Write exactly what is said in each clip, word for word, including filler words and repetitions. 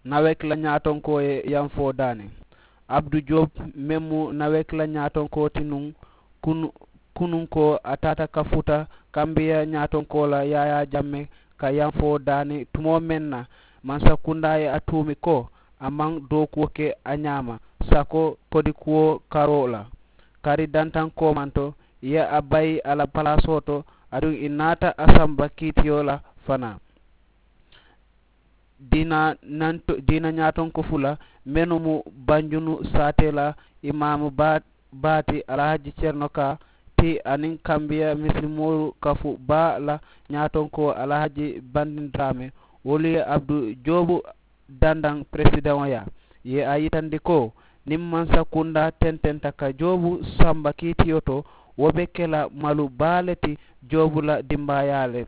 Nawek la ñaatonkoo ye yamfoo daani. Abdu joob meŋ mu nawek la ñaatonkoo ti nuŋ, kunuŋ ko a taata ka futa kambiya ñaatonkoo la yaayaa jamme ka yamfoo daani tumoo meŋ na, mansakundaa ye a tuumi ko a maŋ dookuwo ke a ñaama sako kodikuwo karoo la. Kari dantaŋ koomanto i ye a bayi a la palaasoo to, aduŋ i naata a samba kiitiyo la fanaa. Diina ñaatonko fula mennu mu banjunu saatee la imaamu baa ti alhaji cerno kaa ti aniŋ kambiya misilimoolu kafu baa la ñaatonkoo alhaji bandin daraame, wolu ye abdu joobu dandaŋ peresidaŋo yaa ye a yitandi ko niŋ mansa kundaa tententa ka joobu samba kiitiyo to, wo be ke la malu baa le ti joobu la dimbaayaa le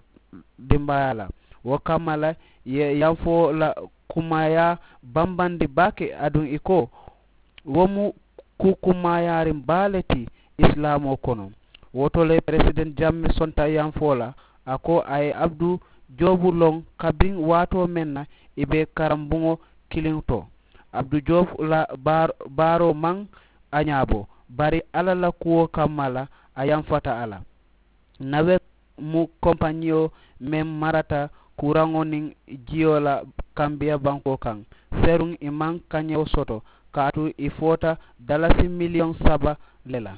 dimbaayaa la. Wo kamma la ye yanfoo la kumaayaa bambandi baake aduŋ i ko wo mu kuu kumaayaariŋ baa le ti isilaamoo kono. Wo to le peresidenti jammi sonta yanfoo la a ko a ye abdu joobu loŋ kabiŋ waatoo meŋ na i be karambuŋo kiliŋ to. Abdu joobu la baaroo maŋ a ñaabo bari alla la kuwo kamma la a yanfata a la. Nawe mu kompañiyo meŋ marata kuraŋo niŋ jiyo la kambiya bankoo kaŋ. Seruŋ i maŋ kañewo soto kaatu i foota dalasi miliyoŋ saba le la.